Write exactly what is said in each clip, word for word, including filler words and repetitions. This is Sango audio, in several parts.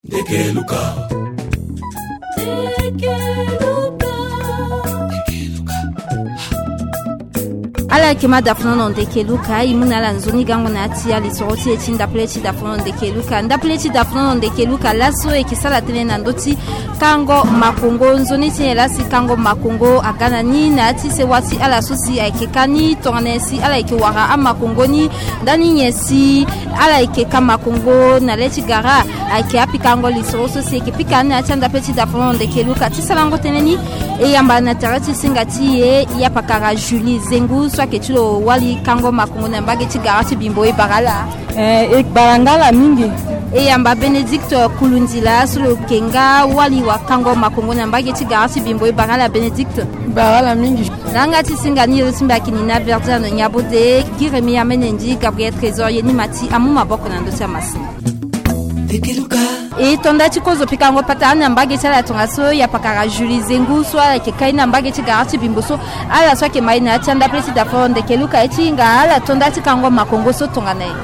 Ndeke Luka. Ala yeke ma da funu na ndeke Luka, e mu na ala nzoni gango na ya ti alisoro ti e ti ndapele ti da funu na ndeke Luka. Ndapele ti da funu na ndeke Luka, laso e yeke sara tënë na ndö ti kango makongo. Nzoni ti nyen la si kango makongo aga na ni na ya ti sewa ti ala so si ayeke ka ni tongana nyen si ala yeke wara amakongo ni? Ndani nyen si ala yeke ka makongo na le ti gara? Ayeke apikango lisoro so si e yeke pika ni na ya ti andapele ti da funu na ndeke Luka. Ti sarango tënë ni, e yamba na tere ti singa ti e, ya pakara Julie Zengu so ayeke ti lo wali kango makongo na mbage ti gara ti Bimbo, e bara ala. Eh, e bara nga ala mingi. E yamba Bénédicte Kulundila so lo yeke nga wali wakango makongo na mbage ti gara ti Bimbo, e bara ala Bénédicte. Bara ala mingi. Na yanga ti singa ni, e lo ti mbi ayeke Nina Verdiane Nyabode, gi Rémi Amenendi, Gabriel Trésor Yenimati amu maboko na ndö ti amasini. E to nda ti kozo pikango patara na mbage ti ala tongaso, ya pakara Julie Zengu so ala yeke kai na mbage ti gara ti Bimbo so, ala so ayeke ma e na ya ti andapele ti da funu na ndeke Luka, e ti hinga ala to nda ti kango makongo so tongana nyen?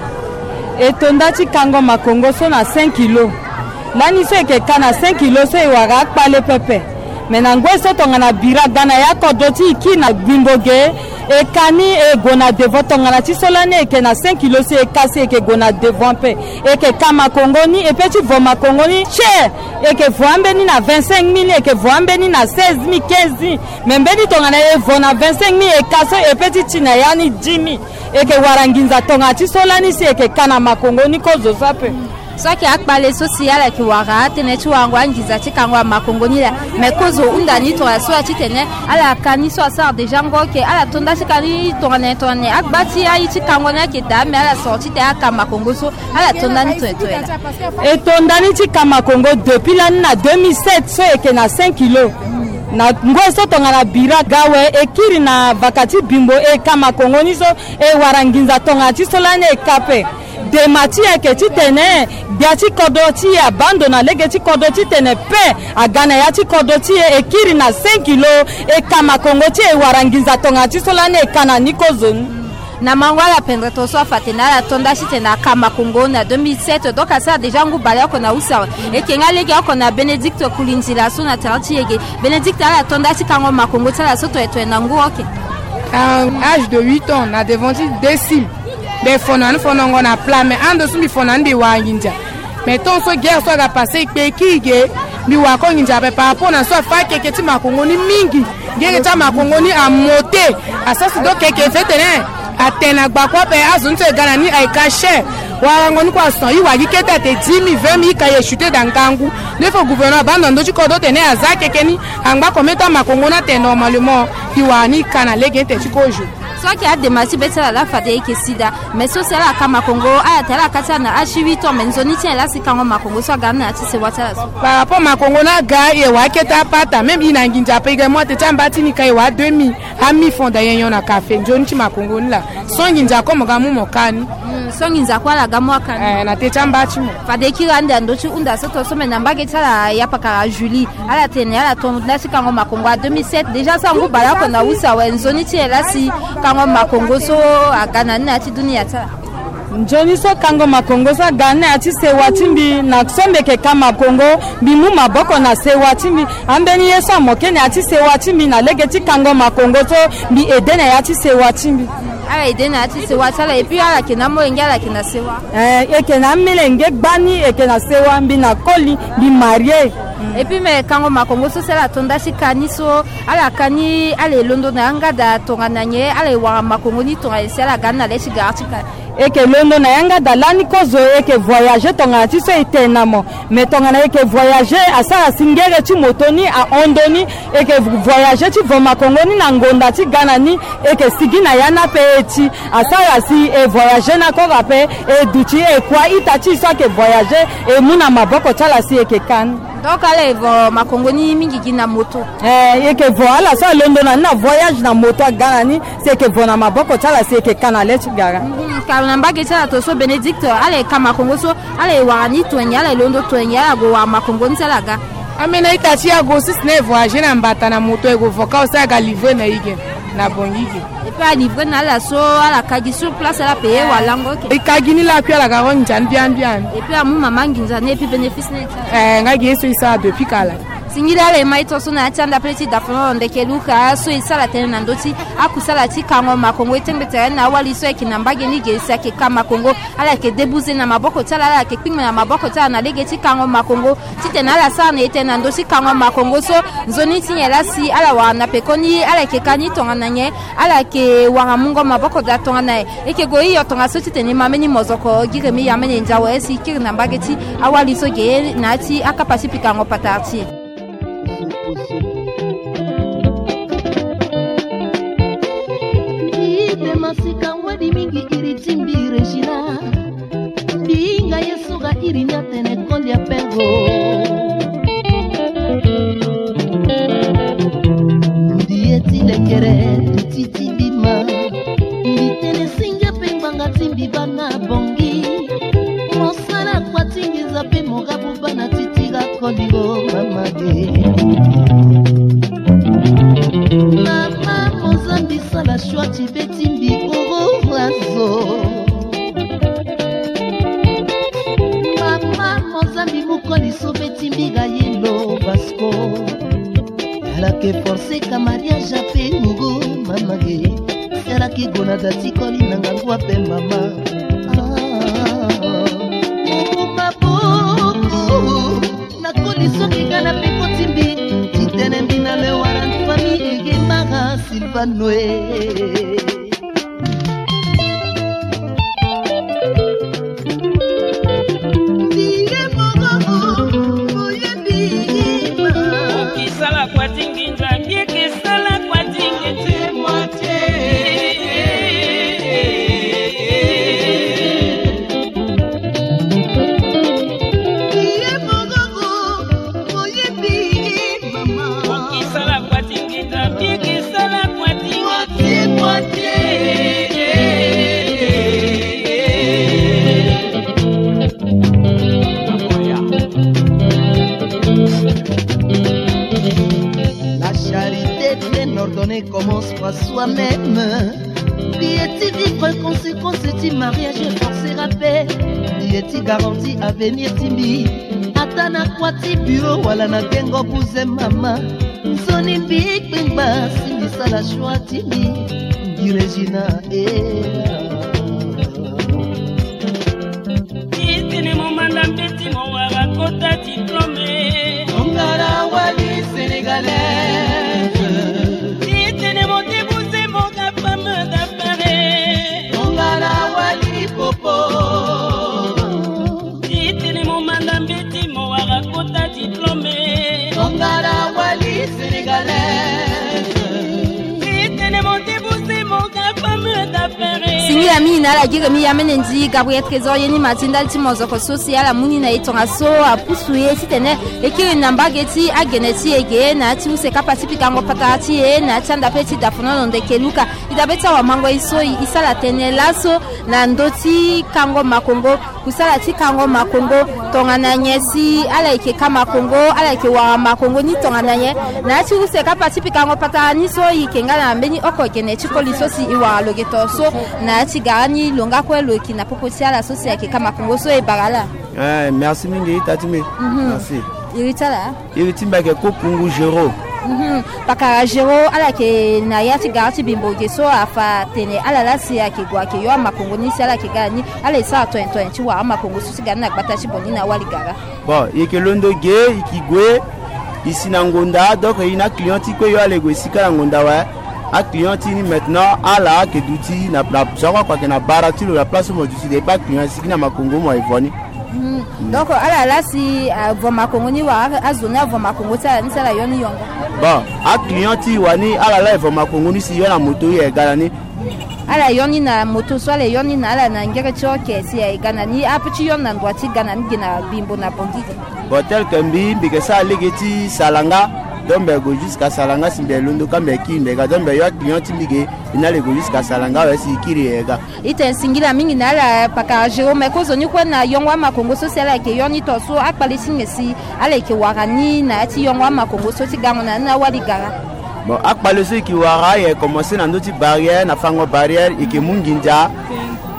E to nda ti kango makongo so na cinq kilo. Lani so e yeke ka na cinq kilo so e wara akpale pepe. Me na ngoi so tongana bira aga na ya kodro ti e kiri na Bimbo ge, e ka ni e gue na devant. Tongana ti so lani e yeke na cinq kilo si e ka si e yeke gue na devant ape. E yeke ka makongo ni, e pe ti vo makongo ni tie. E yeke vo ambeni na vingt-cinq mille, e yeke vo ambeni na seize mille, quinze mille. Me mbeni tongana e vo na vingt-cinq mille, e ka so e pe ti ti na ya ni dix mille. E yeke wara nginza tongana ti so lani si e yeke ka na makongo ni kozo so ape. So ayeke akpale so si ala yeke wara atënë ti warango anginza ti kango ya makongo ni laa. Me kozo hunda ni tongaso ya titene ala ka ni so asara déjà ngo, oke, ala to nda ti ka ni tongana nyen, tongana nyen? Agba ti aye ti kango ni ayeke daa, me ala soro titene aka makongo so, ala to nda ni tongana nyen, tongana nyen laa? E to nda ni ti ka makongo depuis lani na deux mille sept so e yeke na cinq kilo. Na ngoi so tongana bira ga awe, e kiri na vaka ti Bimbo, e ka makongo ni so, e wara nginza tongana ti so lani e ka ape. Dema ti e ayeke titene gbia ti kodro ti e abaa ndo na lege ti kodro titene paix aga na ya ti kodro ti e. E kiri na cinq kilo, e ka makongo ti e, e wara nginza tongana ti so lani e ka na ni kozo ni. Na mango ala pendere to so afa atene ala to nda titene aka makongo na deux mille sept, donc asara déjà ngu baleoko na use awe. E yeke nga legeoko na Bénédicte Kulindila so na tere ti e ge. Bénédicte, ala to nda ti kango makongo ti ala so toye toye na ngu, oke. À âge de huit ans, na devant ti deux cim. Mbi fo na ni fo nongo na plat, mais ando so mbi fo na ni mbi wara nginza. Mais tant so guerre so aga passé, e kpe e kiri ge, mbi wara ko nginza ape par rapport na so afa akeke ti makongo ni mingi. Gere ti amakongo ni amote. Asara si do keke fetene atene agba kue ape, azo ni so e ga na ni ayeke cher. Warango ni kue ason, i wara gi kete ate dix mille, vingt mille, i ka ye chuter da ngangu. Nde fo gouvernement abaa ndo na ndö ti kodro tene aza keke ni, angba combien temps amakongo ni atene normalement. I wara ni i ka na lege ni tene ti kozo. So ayeke adema ti be ti ala laa fade e yeke si daa. Mais so si ala ka makongo, ala tene ala ka ti ala na âge ti huit ans, mais nzoni ti nyen laa si kango makongo so aga ni na ya ti sewa ti ala so? Par rapport makongo ni aga, e wara akete apata, même i na nginza ape, i ga mu ate ti amba ti ni ka e wara deux mille, a mille francs da nyen nyon na café, nzoni ti makongo ni laa. So nginza kue mo ga mu mo ka ni. Hmm, so nginza kue ala ga mu aka ni. Eh, na te ti amba ti mo. Fade e kiri ande na ndö ti hunda so to so, mais na mbage ti ala, ya pakara Julie. Ala tene ala to nda ti kango makongo à deux mille sept. Déjà so angu baleoko na use awe, nzoni ti nyen laa si kango makongo so aga na ni na ya ti dunia ti ala? Nzoni so kango makongo so aga na ni na ya ti sewa ti mbi, na so mbi yeke ka makongo, mbi mu maboko na sewa ti mbi. Ambeni ye so amoke na ya ti sewa ti mbi na lege ti kango makongo so, mbi aide na ya ti sewa ti mbi. Ala aide na ya ti sewa ti ala, et puis ala yeke na amolenge, ala yeke na sewa. Eh, e yeke na amolenge gbani, e yeke na sewa, mbi na koli, mbi marie. Et puis me kango makongo so si ala to nda ti ka ni so, ala ka ni, ala e londo na yanga daa tongana nyen, ala e wara makongo ni tongana nyen si ala ga ni na le ti gara ti ka ni? E yeke londo na yanga daa lani kozo, e yeke voyager tongana ti so e tene na mo. Mais tongana e yeke voyager, asara si ngere ti moto ni ahon ndo ni, e yeke voyager ti vo makongo ni na ngonda ti ga na ni, e yeke sigi na ya ni ape e ti. Asara si e voyager ni akora ape, e duti e kua ita ti e so ayeke voyager, e mu na maboko ti ala si e yeke ka ni. Donc ala e vo makongo ni mingi gi na moto? Eh, e yeke vo, ala so alondo na ni na voyage na moto aga na ni, si e yeke vo na maboko ti ala si e yeke ka na le ti gara. Mhm, kalo na mbage ti ala to so Bénédicte, ala e ka makongo so, ala e wara ni tongi, ala e londo tongi, ala gue wara makongo ni si ala ga? Ambeni a-ita ti e ague si tene e voyager na mbata na moto, e gue vo ka aussi aga livrer na e ge. Na Bongi ge. Et puis alivrer na ala so ala ka gi sur place, ala payer wala lango ke. E ka gi ni lakui, ala ga ro nginza ni biani biani. Et puis amu mama nginza ni, et puis bénéfice ni. Eh, nga gi ye so e sara depuis kala. Singila ala e ma ito so na ya ti anda pele ti dafono ndeke Luka so e sara tënë na ndö ti akusala ti kango makongo. E tengbe tere na awali so ayeke na mbage ni ge si ayeke ka makongo. Ala yeke debuze na maboko ti ala, ala yeke kpingba na maboko ti ala na lege ti kango makongo. Titene ala sara na ete na ndö ti kango makongo so, nzoni ti nyen laa si ala wara na pekoni, ala yeke ka ni tongana nyen, ala yeke wara mungo maboko daa tongana nyen. E yeke gue hio tongaso titene e ma mbeni mozoko gi remi ya mene ndia awe si e kiri na mbage ti awali so ge na ya ti akapa ti pikango patara ti e. Mbi te masika ngwedi mingi iri ti mbi Regina. Mbi hinga ye so ga iri ni atene kolia pengo. Mbi ye ti lekere ti ti mbi ma. Mbi tene singe mpe ngbanga ti mbi baa na Bongi. Mosala kua ti nginza mpe mo ga buba na ti ti ga koli o mama e. Mama Mozambi sala shwa ti be ti mbi oro razo. Mama Mozambi mu koli so be ti mbi ga ye lo Vasco. Ala ke forcer ka mariage ape ngugu mama e. Si ala ke gue na da ti koli na ngangu ape mama. Ah, maboko. Na koli so ke ga na peko ti mbi. Titene mbi na le wara famille ege mara Silvano e. Mbi ye moko, mbi ye mbi ma. Okisala kua ti nginza, mbi yeke sala kua ti nginza. La charité bien ordonnée commence par soi-même. Mbi ye ti vivre conséquence ti mariage forcé ape. Mbi ye ti garanti avenir ti mbi. Ata na kua ti bureau wala na gengo buze mama. Nzoni mbi kpengba si mbi sala choix ti mbi. Mbi Regina e. Titene mo manda mbeti mo wara kota diplôme. Tongana wali sénégalaise. Titene mo débouze mo ga femme d'affaires. Tongana wali popo. Titene mo manda mbeti mo wara kota diplôme. Tongana wali sénégalaise. Titene mo débouze mo ga femme d'affaires. Singila mingi na ala gi remi ya mene ndi Gabriel Trésor ye ni ma ti ndali ti mozoko so si ala mu ni na e tongaso apusu ye titene e kiri na mbage ti agene ti e ge na ya ti use kapa ti pikango patara ti e na ya ti anda pe ti dafono lo ndeke Luka. E dabe ti awamango e so e sara tënë laso na ndö ti kango makongo. Kusala ti kango makongo tongana nyen si ala yeke ka makongo, ala yeke wara makongo ni tongana nyen. Na ya ti use kapa ti pikango patara ni so e yeke nga na mbeni oko gene ti koli so si e wara lo ge to so na ya ti gara ni lo nga kue lo yeke na popo ti ala so si ayeke ka makongo so e bara ala. Eh, merci mingi ita ti mbi. Mhm. Merci. Iri ti ala? Iri ti mbi ayeke Kokungu Géraud. Mhm. Pakara Géraud, ala yeke na ya ti gara ti bimbo ge so afa tene ala laa si ayeke gue ayeke yo amakongo ni si ala yeke ga na ni, ala e sara tonyen tonyen ti wara amakongo so ti ga ni na gbata ti Bongi na awali gara. Bon, e yeke londo ge, e yeke gue, e si na ngonda, donc e na aclient ti kue yo ala e gue e si kâ na ngonda awe. Aclient ti ni maintenant ala ayeke duti na, na, so akue ayeke na bara ti lo na place so mo duti de, e kpe aclient e sigi na makongo mo e vo ni. Hmm. Donc ala laa si, ah, vo makongo ni wala azo ni avo makongo ti ala ni si ala yo ni yongo? Bon, aclient ti e wani ala laa e vo makongo ni si yo na moto e ga na ni. Ala yo ni na moto so ala yo ni na ala na ngere ti oke si e ga na ni ape ti yo ni na ndua ti ga na ni gi na bimbo na Bongi ge. Bon, tel que mbi, mbi yeke sara lege ti Salanga, donc mbi gue jusqu'à Salanga si mbi londo kâ mbi kiri mbi ga, donc mbi yo aclient ti mbi ge, e na ala e gue jusqu'à Salanga awe si e kiri e ga. E tene singila mingi na ala pakara Géraud, me kozoni kue na yongo amakongo so si ala yeke yo ni to so akpale ti nyen si ala yeke wara ni na ya ti yongo amakongo so ti gango na ni na awali gara. Bon, akpale so e ke wara, e commencé na ndö ti barrière, na fango barrière, e ke mu nginza.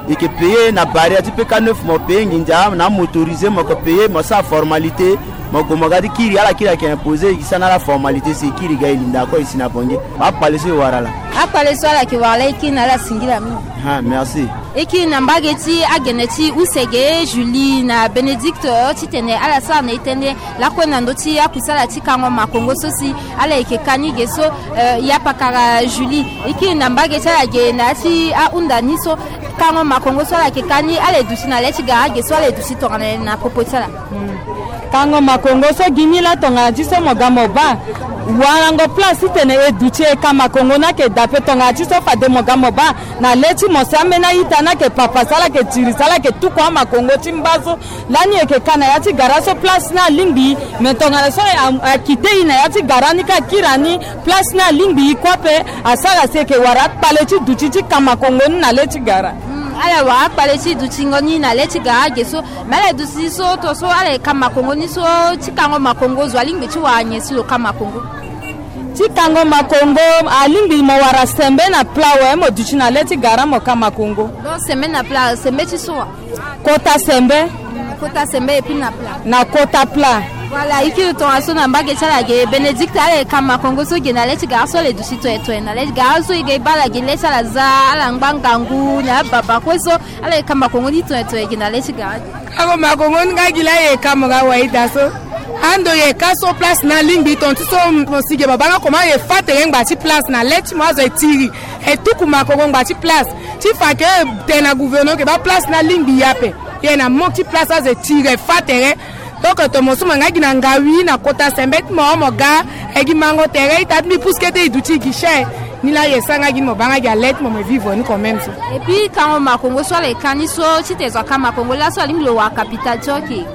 E ke payer na barrière ti P K neuf, mo payer nginza, na motorisé mo ke payer, mo sara formalité. Mo gue mo ga ti kiri, ala kiri ayeke imposé, e ke sara na ala formalité si e kiri ga e linda kue e si na Bangui. Akpale so e wara laa. Akpale so ala yeke wara laa, e kiri na ala singila mingi. Ah, merci. E kiri na mbage ti agene ti use ge, Julie na Bénédicte, titene ala sara na e tënë lakue na ndö ti akusala ti kango makongo so si ala yeke ka ni ge so. Eh, ya pakara Julie, e kiri na mbage ti ala ge na ya ti ahunda ni so, kango makongo so ala yeke ka ni, ala ye duti na le ti gara ge so, ala ye duti tongana nyen na popo ti ala? Kango makongo so gi ni laa tongana ti so mo ga mo baa. Warango place titene e duti e ka makongo ni ayeke daa ape, tongana ti so fade mo ga mo baa na le ti mo si ambeni a-ita ni ayeke papa si ala yeke tiri si ala yeke tuku amakongo ti mba so. Lani e yeke ka na ya ti gara so place ni alingbi, me tongana so a, akite e na ya ti gara ni ka akiri ani, place ni alingbi e kue ape. Asara si e yeke wara akpale ti duti ti ka makongo ni na le ti gara. Hmm, ala wara akpale ti dutingo ni na le ti gara ge so. Me ala duti so to so ala ye ka makongo ni so, ti kango makongo zo alingbi ti wara nyen si lo ka makongo? Ti kango makongo alingbi mo wara sembe na plat awe, mo duti na le ti gara mo ka makongo. Donc sembe na plat, sembe ti so wa? Kota sembe. Kota sembe et puis na plat. Na kota plat. Voilà, e kiri tongaso na mbage ti ala ge, Bénédicte, ala ye ka makongo so ge na le ti gara so, ala ye duti toye toye na le ti gara so, e ge baa ala ge le ti ala za, ala ngba ngangu na ababa kue so, ala ye ka makongo ni toye toye ge na le ti gara. Kango makongo ni nga gi laa e ye ka mo ga wayida so. Ando e ye ka so place ni alingbi, tonga ti so mo si ge babanga comment e fa tere ngba ti place na le ti mo azo e tiri, e tuku makongo ngba ti place. Ti fa ke tene na gouvernement ke baa place ni alingbi e ape. E na manque ti place azo e tiri e fa tere. Donc tomo so mo nga gi na ngawi na kota sembe ti mo, mo ga e gi mango tere, ita ti mbi pusu kete e duti e gi cher. Ni laa e sara nga gi ni mo baa nga gi na le ti mo, mo vivre ni quand même so. Et puis kango makongo so ala ye ka ni so, titene zo aka makongo laso alingbi lo wara capital ti oke.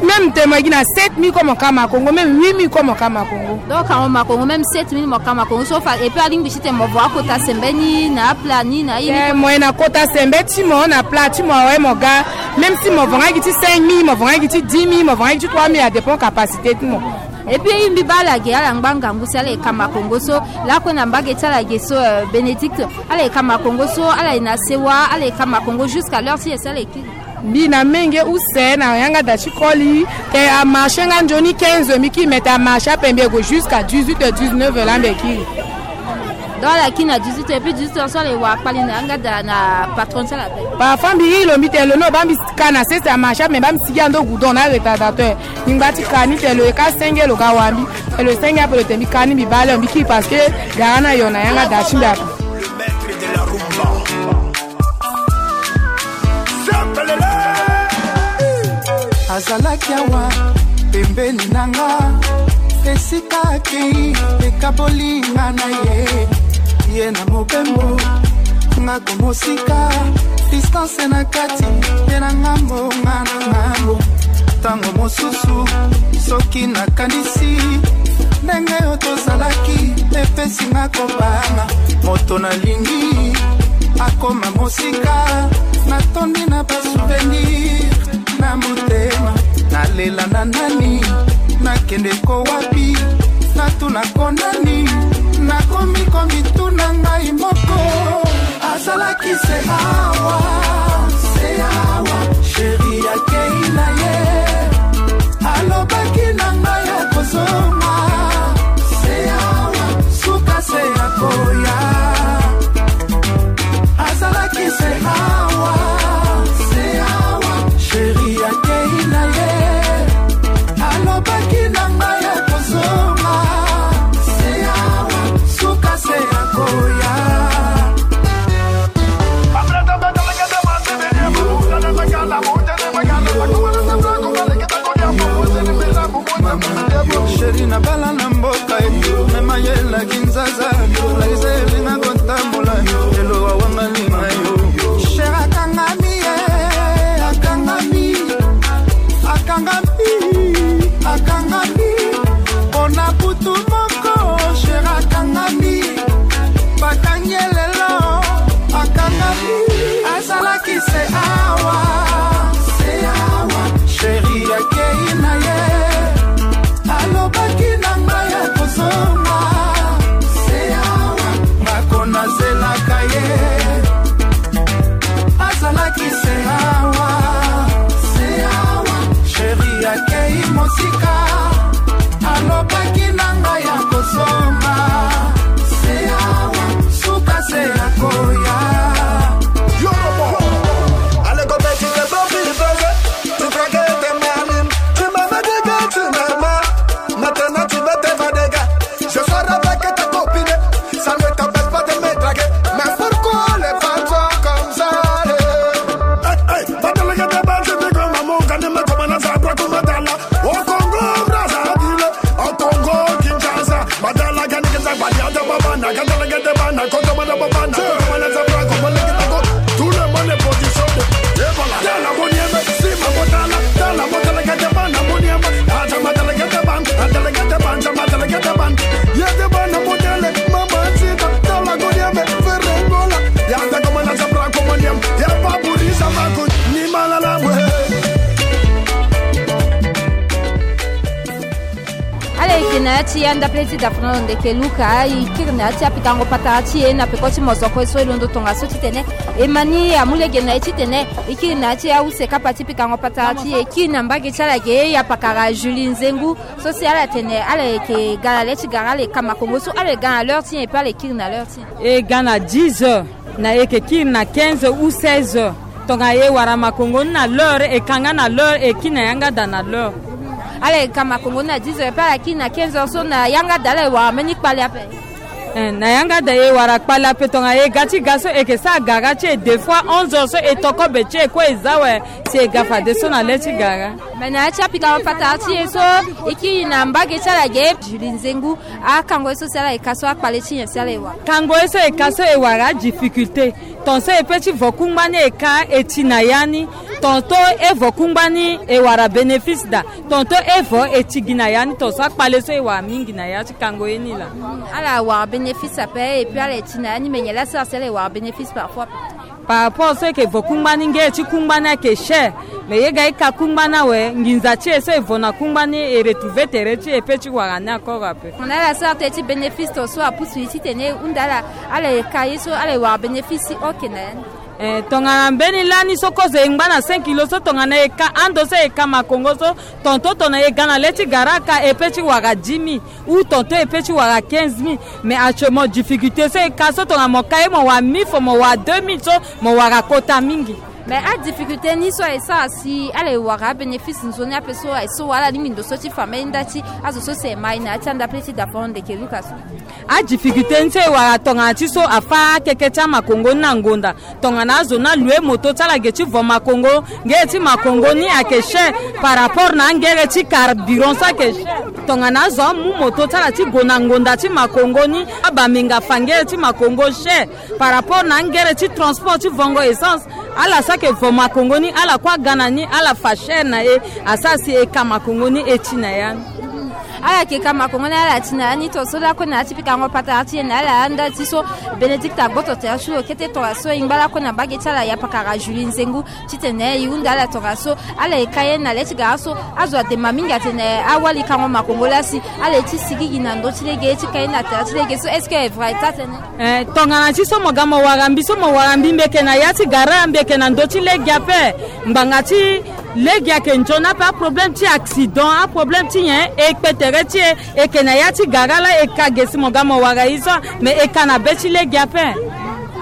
Même tene mo ye gi na sept mille kue mo ka makongo, même huit mille kue mo ka makongo. Donc kango makongo même sept mille mo ka makongo so fa, et puis alingbi titene mo vo akota sembe ni na aplat ni na ye ni. Eh, mo ye na kota sembe ti mo na plat ti mo awe mo ga. Même si mo vo nga gi ti cinq mille, mo vo nga gi ti dix mille, mo vo nga gi ti trois mille, a dépend capacité ti mo. Et puis e mbi baa ala ge, ala ngba ngangu si ala ye ka makongo so lakue na mbage ti ala ge so, euh, Bénédicte, ala ye ka makongo so, ala ye na sewa, ala ye ka makongo jusqu'à l'heure ti e si ala ye kiri. Mbi na menge use na yanga da ti koli, te amarché nga nzoni quinze heures mbi kiri, me te amarché ape mbi ye gue jusqu'à dix-huit heures, dix-neuf heures laa mbi ye kiri. Donc ala kiri na dix-huit heures, et puis dix-huit heures so ala ye wara kpali na yanga da na patron ti ala ape. Parfois mbi iri lo, mbi tene lo ni lo baa mbi ka na sese amarché ape, me baa mbi sigi ando goudron na retardateur. Mbi ngba ti ka ni, te lo ye ka senge lo ga wara mbi. Te lo senge ape lo tene mbi ka ni, mbi baa le mbi kiri parce que gara ni ayo na yanga da ti mbi ape. Azalaki awa pembeni na nga, esika akei ekaboli nga na ye. Ye na mobembo, nga komosika, distance na kati, ye na ngambo, nga na ngambo. Tango mosusu, soki nakanisi ndenge oyo tozalaki, epesi nga kobanga. Moto nalingi akoma mosika, natondi na basouvenir na motema. Nalela na nani? Nakende ko wapi? Natuna ko nani? Nakomi komituna ngai moko. Azalaki se awa, se awa, chéri akei na ye. Alobaki na ngai akozonga, se awa, suka se akoya. Azalaki se awa, se awa, chéri akei na ye. Alobaki na ngai akozonga, se awa, suka se akoya. Alobaki na ngai ya kosomba, se awa, suka se ya koya. Yorobo, allez, go, petit, le bon, tu veux, tu veux que t'es malin. Tu m'avais dit que tu m'aimais. Maintenant, tu veux te faire des gars. Je sors avec ta copine. Ça ne t'empêche pas de me draguer. Mais pourquoi les femmes sont comme ça, eh? Hey, hey, badalagada bantu biko mamu kani makomana zabra kumadala. Au Congo Brazzaville, au Congo Kinshasa, madala gani kata badiata babana, katalagata bana, kotomana babana, kotomana zabra, kotomana kitako. Tout le monde est positionné. Et voilà. Tala moniema, sima motala, tala motala gata bana moniema, ata matala gata ban, atala gata ban, ata matala gata ban. Yete bana motele, mama tita, tala moniema, ferre gola. Yata komana zabra komoniema, ya baburi sama kun, ni malala mwe. Ala yeke na ya ti ya ndapele ti dafana lo ndeke Luka, e kiri na ya ti apikango patara ti e na peko ti mosoko so e londo tongaso titene e ma ni amu lege na e titene e kiri na ya ti ause kapa ti pikango patara ti e. E kiri na mbage ti ala ge, e ya pakara Julie Nzengu, so si ala tene ala yeke ga na le ti gara, ala yeke ka makongo so ala yeke ga na l'heure ti nyen, e pe ala yeke kiri na l'heure ti nyen? E ga na dix heures. Na e yeke kiri na quinze ou seize heures. Tongana e wara makongo ni na l'heure, e ka nga na l'heure, e kiri na yanga da na l'heure. Ala yeke ka makongo ni na dix heures, pe ala kiri na quinze heures so, na yanga da ala e wara mbeni kpale ape. Eh, na yanga da e wara kpale ape, tongana e ga ti ga so e yeke sara gara ti e deux fois onze heures so e toko be ti e kue e za awe, si e ga fadeso na le ti gara. Me na ya ti apika patara ti e so, e kiri na mbage ti ala ge, Julie Nzengu, akango ye so si ala yeke ka so, akpale ti nyen si ala e wara? Kango ye so e ka so e wara adifficulté. Ton so e pe ti vo kungba ni e ka e ti na ya ni. Ton so e vo kungba ni e wara bénéfice daa. Ton so e vo e ti gi na ya ni. Ton so akpale so e wara mingi na ya ti kango ye ni laa. Ala wara bénéfice ape, et puis ala e ti na ya ni, me nyen laa sara si ala e wara bénéfice parfois? Par rapport so e yeke vo kungba ni, ngere ti kungba ni ayeke cher. Me ye ga e ka kungba ni awe, nginza ti e so e vo na kungba ni e retrouver tere ti e pe ti wara ni encore ape. Tongana ala sara tënë ti bénéfice, ton so apusu e titene e hunda ala, ala e ka ye so, ala e wara bénéfice si oke na ya ni. Eh, tongana mbeni lani so kozo e ngba na cinq kilos so, tongana e ka ando so e ka makongo so, ton so tongana e ga na le ti gara aka e pe ti wara dix mille. Ou ton so e pe ti wara quinze mille. Mais actuellement difficulté so e ka so, tongana mo ka ye mo wara mille francs, mo wara deux mille so, mo wara kota mingi. Mais adifficulté ni so aye sara si ala e wara abénéfice nzoni ape so aye so wala alingbi ndo so ti fa mbeni nda ti azo so si e ma e na ya ti andapele ti dafao ndeke Luka so? Adifficulté ni so e wara tongana ti so afâ akeke ti amakongo ni na ngonda. Tongana azo ni alue moto ti ala ge ti vo makongo, ngere ti makongo ni ayeke cher par rapport na angere ti carburant so ayeke cher. Tongana azo amu moto ti ala ti gue na ngonda ti makongo ni, abambenga fa ngere ti makongo cher par rapport na angere ti transport ti vongo essence. Ala so ayeke vo makongo ni, ala kue aga na ni, ala fa cher na e, asara si e ka makongo ni e ti na ya ni. Ala yeke ka makongo ni, ala ti na ya ni, ton so lakue na ya ti pikango patara ti e na ala anda ti so, Bénédicte agboto tere ti lo kete tongaso e ngba lakue na mbage ti ala ya pakara Julie Nzengu titene e hunda ala tongaso, ala e ka ye na le ti gara so, azo adema mingi atene awali kango makongo laa si ala e ti sigigi na ndö ti lege ti ka ye na tere ti lege so, est-ce que e vrai taa tënë? Eh, tongana ti so mo ga mo wara mbi so, mo wara mbi, mbi yeke na ya ti gara, mbi yeke na ndö ti lege ape. Ngbanga ti lege ayeke nzoni ape, aproblème ti accident, aproblème ti nyen, e kpe tere ti e, e yeke na ya ti gara laa e ka ge si mo ga mo wara e so, mais e ka na be ti lege ape.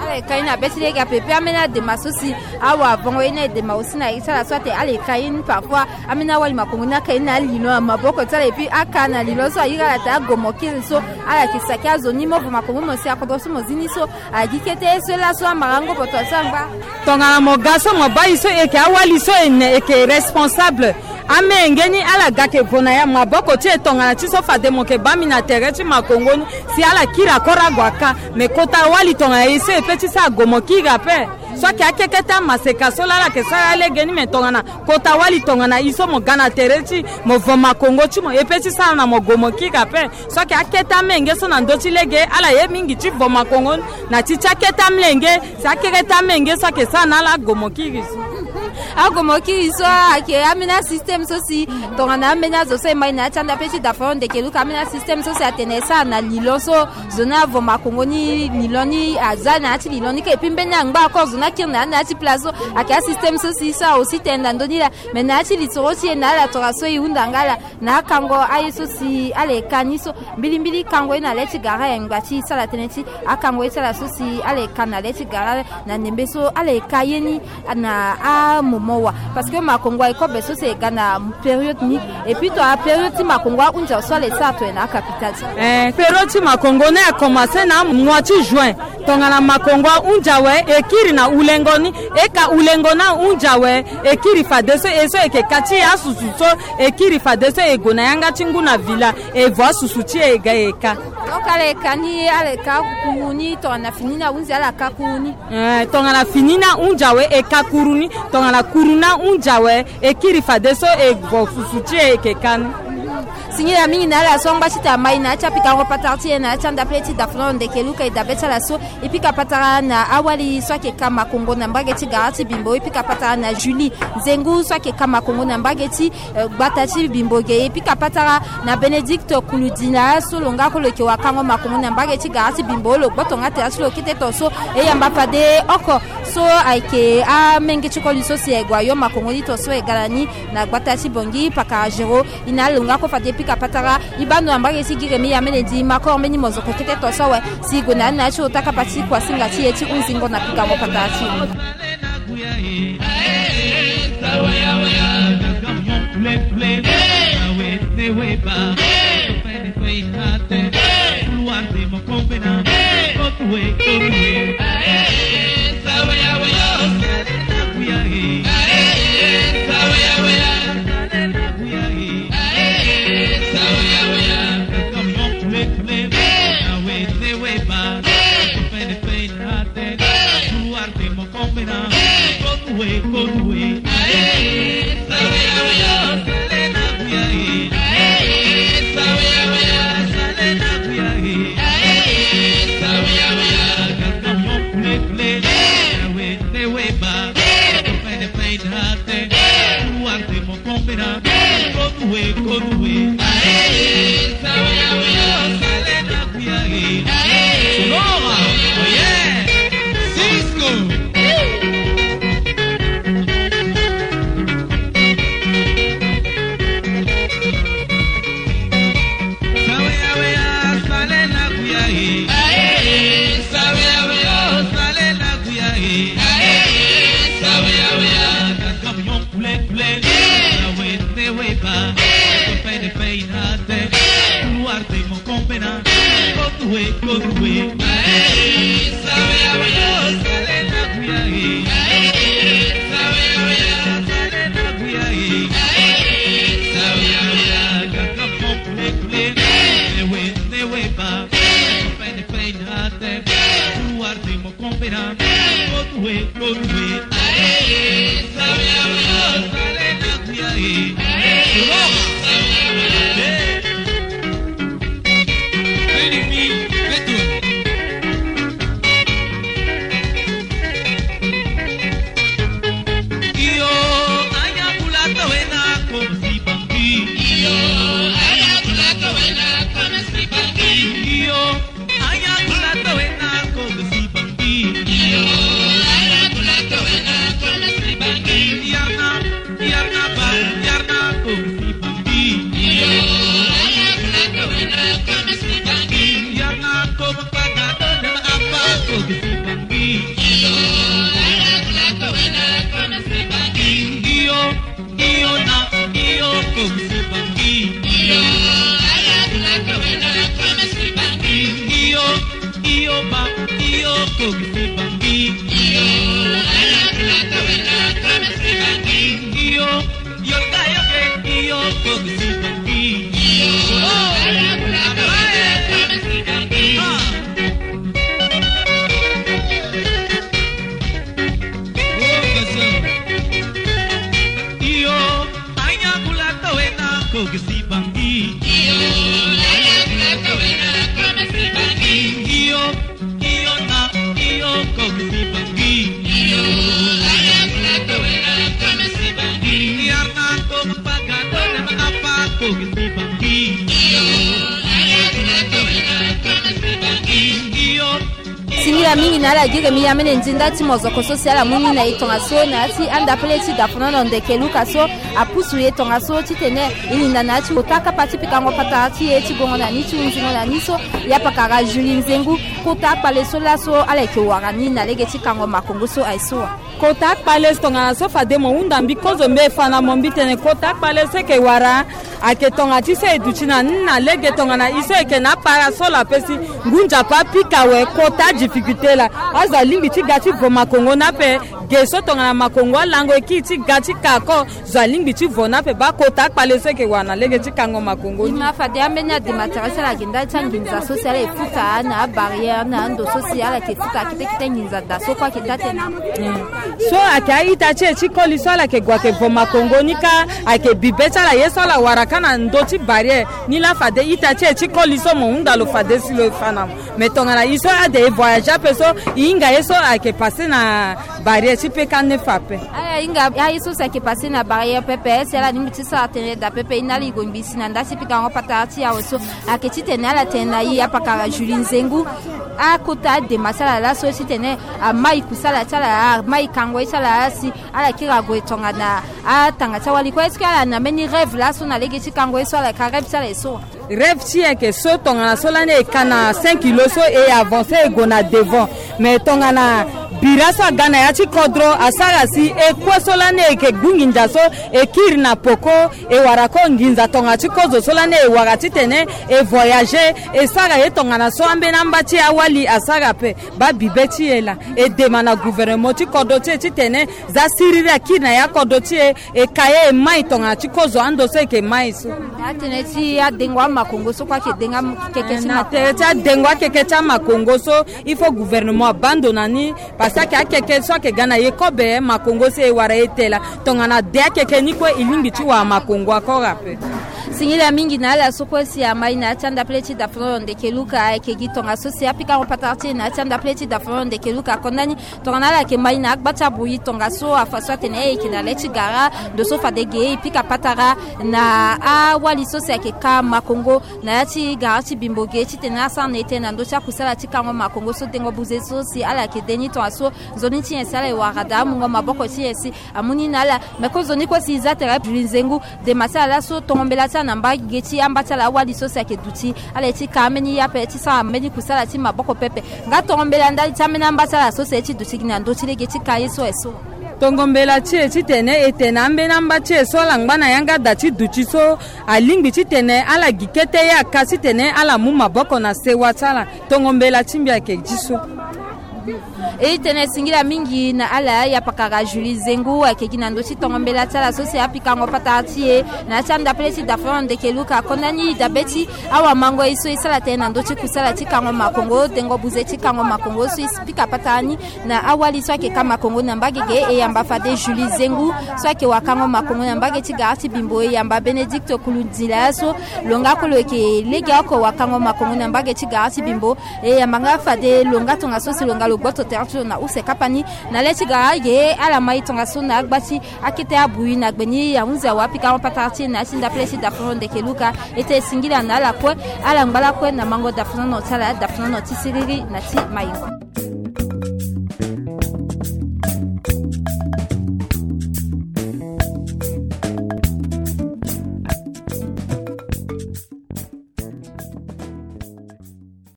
Ala e ka ye na be ti lege ape, pe ambeni adema so si awavongo ye ni, e dema aussi na ye ti ala so atene ala e ka ye ni parfois. Ambeni awali makongo ni aka ye na lino na maboko ti ala, et puis aka na lino so ayiri ala taa ago mo kiri so, ala yeke saki azo ni mo vo makongo mo si akodro so mo zi ni so, agi kete ye so laso amara ngobo to so angba. Tongana mo ga so mo baa e so, e yeke awali so e ne, e yeke responsable. Amenge ni ala ga ke vo na ya maboko ti e, tongana ti so fade mo yeke baa mbi na tere ti makongo ni si ala kiri akoro ague aka. Me kota wali tongana e so e pe ti sara ago mo kiri ape. So ayeke akekete amaseka so laa ala yeke sara alege ni, me tongana kota wali tongana e so mo ga na tere ti mo vo makongo ti mo, e pe ti sara na mo go mo kiri ape. So ayeke akete amenge so na ndö ti lege, ala ye mingi ti vo makongo ni na ti ti akete amlenge, si akekete amenge so ayeke sara na ala go mo kiri so. Agomo kiri so ayeke ambeni asystème so si tongana ambeni azo so e ma e na ya ti anda pe ti da fo ndeke luka ambeni asystème so si atene e sara na lilon so zo ni avo makongo ni lilon ni aza na ya ti lilon ni kâ. Et puis mbeni angba encore zo ni akiri na ya na ya ti place so ayeke asystème so si e sara aussi tene na ndö ni laa. Mais na ya ti litoro ti e na ala tora so e hunda nga laa na akango aye so si ala ye ka ni so. Mbilimbili kango ye na le ti gara e ngba ti e sara tënë ti akango ye ti ala so si ala ye ka na le ti gara na ndembe so ala ye ka ye ni na amomo wa. Parce que makongo aye kobe so si e ga na période ni. Et puis tongana période ti makongo ahunzi awe so ala ye sara tongana na akapitale ti. Eh, période ti makongo ni akomanse na mois ti juin. Tongana makongo ahunzi awe e kiri na hulengo ni. E ka hulengo ni ahunzi awe e kiri fadeso e so e yeke ka ti asusu so e kiri fadeso e gue na yanga ti ngu na villa e vo asusu ti e e ga e ka. Donc ala ye ka ni ala ye ka kuru ni tongana fini ni ahunzi ala ka kuru ni. Eh, tongana fini ni ahunzi awe e ka kuru ni. Tongana kuru ni ahunzi awe e kiri fadeso e vo susu ti e e yeke ka ni. Singila mingi na ala so angba ti tene a ma e na ya ti apikango patara ti e na ya ti anda pele ti dafolongo ndeke luka e dabe ti ala so. E pika patara na awali so ayeke ka makongo na mbage ti gara ti Bimbo. E pika patara na Julie Nzengu so ayeke ka makongo na mbage ti eh, gbata ti Bimbo ge. E pika patara na Bénédicte Kuludila so lo nga kue lo yeke wakango makongo na mbage ti gara ti Bimbo. Lo gboto nga tere ti lo kete to so e yamba fade oko so ayeke amenge ti koli so si e gue ayo makongo ni to so e ga na ni na gbata ti Bongi pakara Géraud. E na lo nga kue fade e pika patara. E baa ndo na mbage ti gi remi ya mene di makoro mbeni mozoko kete to so awe si e gue na ni na ya ti ota kapa ti kuasinga ti e ti hunzingo na pikango patara ti e. Singila mingi na ala gi ge mi amene ndinda ti mozoko so si ala mu ni na e tongaso na ya ti anda pele ti dafonono ndeke luka so apusu e tongaso titene e linda na ya ti kota kapa ti pikango patara ti e ti gongo na ni ti hunzingo na ni so. Ya pakara Julie Nzengu, kota kpale so laso ala yeke wara ni na lege ti kango makongo so aye so wa. Kota kpale so tongana so fade mo hunda mbi kozo mbi e fa na mo mbi tene kota kpale so eke wara ayeke tonga ti so e duti na ni na lege tongana e so eke na apara so la pesi ngu nzapa apika awe kota difficulté la. Azo alingbi ti ga ti vo makongo ni ape. Ge so tongana makongo alango e kiri ti ga ti ka ko. Zo alingbi ti vo ni ape baa kota kpale so eke wara na lege ti kango makongo ni. Ima fade ambeni adematere so ala gi ndali ti anginza so si ala e futa na abarrière na ando so si ala yeke futa kete kete nginza daa so kue ayeke taa tënë. So ayeke a-ita ti e ti koli so ala yeke gue ayeke vo makongo ni kâ. Ayeke bibe ti ala ye so ala wara kâ na ndö ti barrière. Ni laa fade ita ti e ti koli so mo hunda lo fade si lo e fa na mo. Mais tongana e so ade e voyage ape so e hinga ye so ayeke passe na barrière ti peka nefa ape. Ala hinga aye so si ayeke passe na barrière pepe si ala lingbi ti sara tënë daa pepe. E na ala e gue ngbii si na nda ti pikango patara ti e awe so ayeke titene ala tene na e apakara Julie Nzengu. Akota adema ti ala laso titene amai kusala ti ala amai kango ye ti ala laa si ala kiri ague tongana atanga ti awali kue. Est-ce que ala na mbeni rêve laso na lege ti kango ye so ala ka rêve ti ala ye so wa? Rêve ti e ayeke so tongana so lani e ka na cinq kilo so e avancer e gue na devant. Mais tongana bira so aga na ya ti kodro asara si e kue so lani e yeke gbu nginza so e kiri na poko e wara ko nginza tongana ti kozo so lani e wara titene e voyager e sara ye tongana so ambeni amba ti e awali asara ape. Baa bibe ti e laa e dema na gouvernement ti kodro ti e titene za siriri akiri na ya kodro ti e. E ka ye e mai tongana ti kozo ando so e yeke mai so. Na tënë ti adengo amakongo so kue ayeke dengo akeke ti na tënë ti adengo akeke ti amakongo so il faut gouvernement abaa ndo na ni. Parce que ayeke akeke so ayeke ga na ye kobe makongo so e wara e te laa. Tongana de akeke ni kue e lingbi ti wara makongo akora ape. Singila mingi na ala so kue si amai na ya ti anda pele ti dafono ndeke luka ayeke gi tongaso si apikango patara ti e na ya ti anda pele ti dafono ndeke luka akonda ni. Tongana ala yeke mai na agba ti abui tongaso afa so atene e yeke na le ti gara ndo so fade ge e pika patara na awali so si ayeke ka makongo na ya ti gara ti bimbo ge titene asara na ete na ndö ti akusala ti kango makongo so dengo buze so si ala yeke de ni tongaso. Nzoni ti nyen si ala e wara daa amungo maboko ti nyen si amu ni na ala. Me ko nzoni kue si e za tere Julie Nzengu dema ti ala laso tongo mbela ti ala na mbage ti amba ti ala awali so si ayeke duti ala ye ti ka ambeni ye ape ti sara mbeni kusala ti maboko pepe. Nga tongo mbela ndali ti ambeni amba ti ala so si aye ti duti gi na ndö ti lege ti ka ye so aye so. Tongo mbela ti e titene e tene ambeni amba ti e so ala ngba na yanga da ti duti so alingbi titene ala gi kete ye aka titene ala mu maboko na sewa ti ala. Tongo mbela ti mbi ayeke gi so. E tene singila mingi na ala ya pakara Julie Nzengu ayeke gi na ndö ti tongo mbela ti ala so si apikango patara ti e na ya ti anda pele ti dafono ndeke luka akonda ni dabe ti awamango ye so e sara tënë na ndö ti kusala ti kango makongo dengo buze ti kango makongo so e pika patara ni na awali so ayeke ka makongo na mbage ge e yamba fade Julie Nzengu so ayeke wakango makongo na mbage ti gara ti bimbo e yamba Bénédicte Kulundila so lo nga kue lo yeke legeoko wakango makongo na mbage ti gara ti bimbo. E yamba nga fade lo nga tongaso si lo nga lo gboto tere ti lo na use kapa ni na le ti gara ge ala mai tongaso na agba ti akete abui na gbe ni ahunzi awe apikango patara ti e na ya ti ndapele ti dafono ndeke luka. E tene singila na ala kue ala ngba lakue na mango dafonono ti ala dafonono ti siriri na ti mayingo.